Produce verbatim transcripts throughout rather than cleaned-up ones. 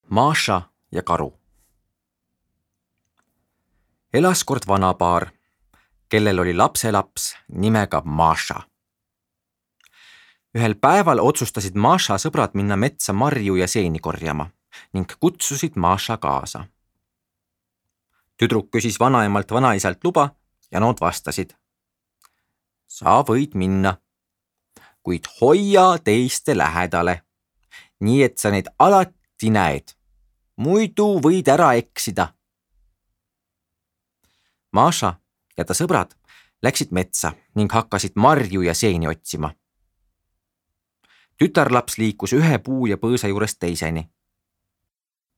Maša ja karu. Elas kord vanapaar, kellel oli lapselaps nimega Maša. Ühel päeval otsustasid Maša sõbrad minna metsa marju ja seeni korjama ning kutsusid Maša kaasa. Tüdruk küsis vanaemalt vanaisalt luba ja nad vastasid. Sa võid minna, kuid hoia teiste lähedale, nii et sa neid alati näed. Muidu võid ära eksida. Maša ja ta sõbrad läksid metsa ning hakkasid marju ja seeni otsima. Tütarlaps liikus ühe puu ja põõsa juurest teiseni.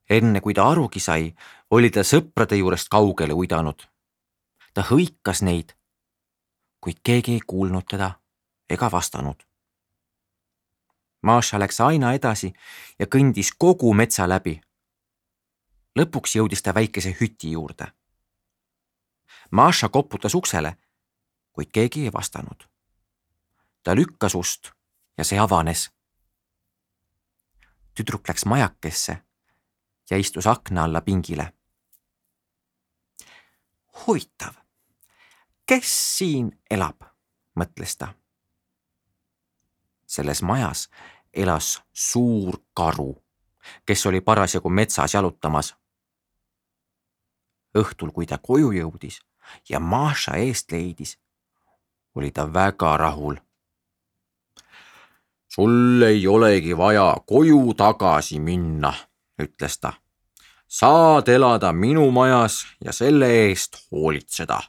Enne kui ta arugi sai, oli ta sõprade juurest kaugele uidanud. Ta hõikas neid, kuid keegi ei kuulnud teda ega vastanud. Maša läks aina edasi ja kõndis kogu metsa läbi. Lõpuks jõudis ta väikese hüti juurde. Maša koputas uksele, kuid keegi ei vastanud. Ta lükkas ust ja see avanes. Tüdruk läks majakesse ja istus akna alla pingile. Huvitav, kes siin elab, mõtles ta. Selles majas elas suur karu, kes oli parasjagu metsas jalutamas. Õhtul, kui ta koju jõudis ja Maša eest leidis, oli ta väga rahul. Sul ei olegi vaja koju tagasi minna, ütles ta. Saad elada minu majas ja selle eest hoolitseda.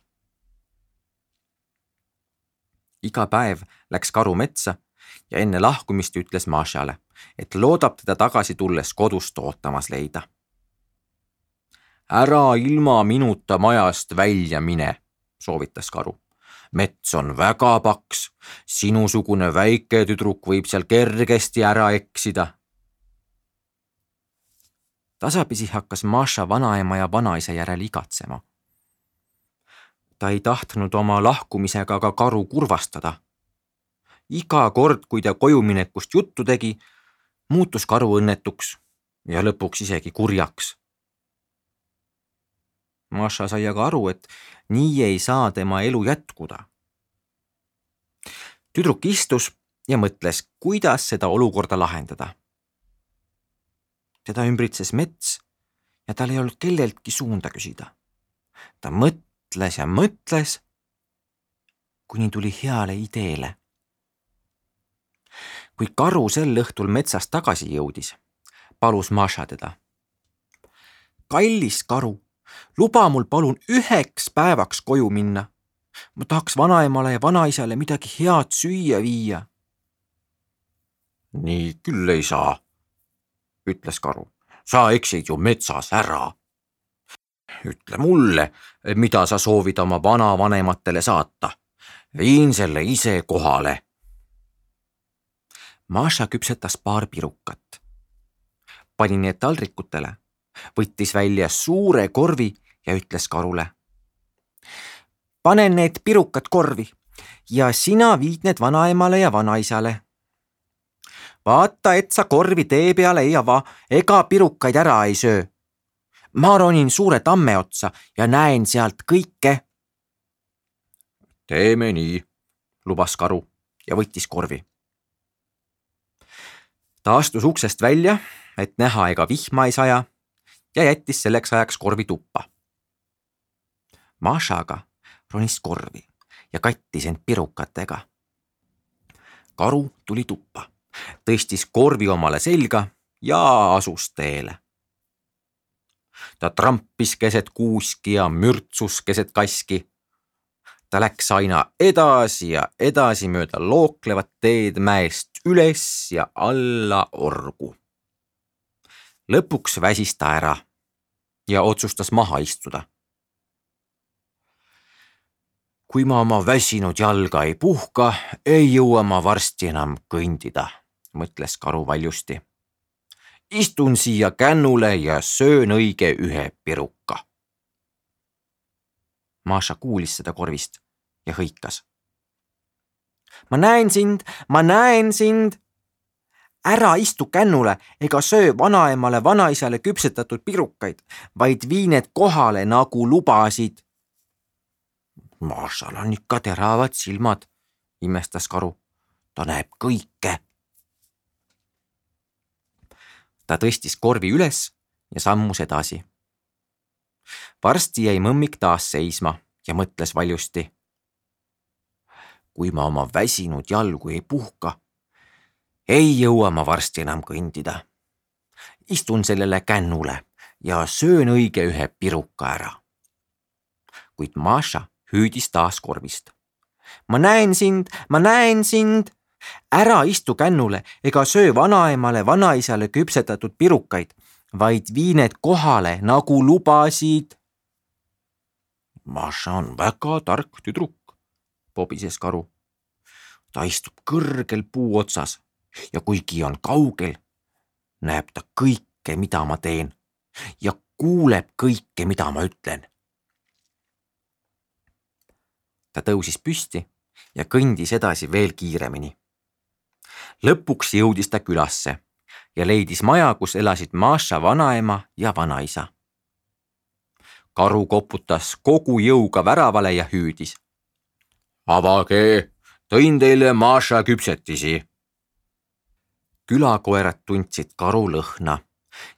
Iga päev läks karu metsa ja enne lahkumist ütles Mašale, et loodab teda tagasi tulles kodust ootamas leida. Ära ilma minuta majast välja mine, soovitas karu. Mets on väga paks, sinusugune väike tüdruk võib seal kergesti ära eksida. Tasapisi hakkas Maša vanaema ja vanaisa järel igatsema. Ta ei tahtnud oma lahkumisega ka karu kurvastada. Iga kord, kui ta kojuminekust juttu tegi, muutus karu õnnetuks ja lõpuks isegi kurjaks. Maša sai aga aru, et nii ei saa tema elu jätkuda. Tüdruk istus ja mõtles, kuidas seda olukorda lahendada. Teda ümbritses mets ja tal ei olnud kelleltki suunda küsida. Ta mõtles ja mõtles, kuni tuli heale ideele. Kui karu sel õhtul metsast tagasi jõudis, palus Maša teda. Kallis karu, luba mul palun üheks päevaks koju minna. Ma tahaks vanaemale ja vanaisale midagi head süüa viia. Nii küll ei saa, ütles karu. Sa eksid ju metsas ära. Ütle mulle, mida sa soovid oma vanavanematele saata. Viin selle ise kohale. Maša küpsetas paar pirukat. Pani need taldrikutele, võttis välja suure korvi ja ütles karule. Panen need pirukad korvi ja sina viid need vanaemale ja vanaisale. Vaata, et sa korvi tee peale ei ava ega pirukaid ära ei söö. Ma ronin suure tamme otsa ja näen sealt kõike. Teeme nii, lubas karu ja võttis korvi. Ta astus uksest välja, et näha ega vihma ei saja ja jättis selleks ajaks korvi tuppa. Mašaga ronis korvi ja kattis end pirukatega. Karu tuli tuppa, tõstis korvi omale selga ja asus teele. Ta trampis keset kuuski ja mürtsus keset kaski. Ta läks aina edasi ja edasi mööda looklevat teed mäest üles ja alla orgu. Lõpuks väsis ta ära ja otsustas maha istuda. Kui ma oma väsinud jalga ei puhka, ei jõua ma varsti enam kõndida, mõtles karu valjusti. Istun siia kännule ja söön õige ühe piruka. Maša kuulis seda korvist ja hõikas. Ma näen sind, ma näen sind. ära istu kännule ega söö vanaemale vanaisale küpsetatud pirukaid, vaid vii need kohale, nagu lubasid. Mašal on ikka teravad silmad, imestas karu. Ta näeb kõike. Ta tõstis korvi üles ja sammus edasi. Varsti jäi mõmmik taas seisma ja mõtles valjusti. Kui ma oma väsinud jalgu ei puhka, ei jõua ma varsti enam kõndida. Istun sellele kännule ja söön õige ühe piruka ära. Kuid Maša hüüdis taas korvist. Ma näen sind, ma näen sind. Ära istu kännule ega söö vanaemale vanaisale küpsetatud pirukaid, vaid vii need kohale, nagu lubasid. Maša on väga tark tüdruk, pobises karu. Ta istub kõrgel puu otsas ja kuigi on kaugel, näeb ta kõike, mida ma teen ja kuuleb kõike, mida ma ütlen. Ta tõusis püsti ja kõndis edasi veel kiiremini. Lõpuks jõudis ta külasse ja leidis maja, kus elasid Maša vanaema ja vanaisa. Karu koputas kogu jõuga väravale ja hüüdis. Avage, tõin teile Maša küpsetisi. Külakoerad tundsid karu lõhna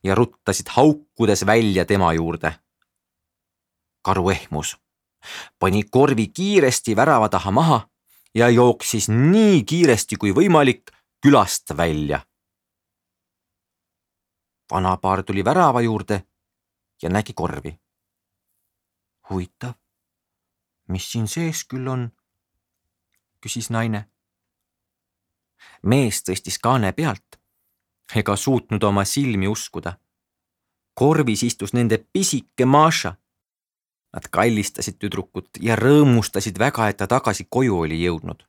ja ruttasid haukudes välja tema juurde. Karu ehmus, pani korvi kiiresti värava taha maha ja jooksis nii kiiresti kui võimalik külast välja. Vanapaar tuli värava juurde ja nägi korvi. Huvitav, mis siin sees küll on? Küsis naine. Mees tõstis kaane pealt ega suutnud oma silmi uskuda. Korvis istus nende pisike Maša. Nad kallistasid tüdrukut ja rõõmustasid väga, et ta tagasi koju oli jõudnud.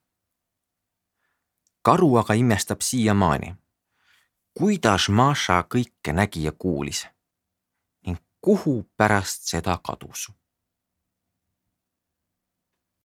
Karu aga imestab siiamaani, kuidas Maša kõike nägi ja kuulis ning kuhu pärast seda kadus.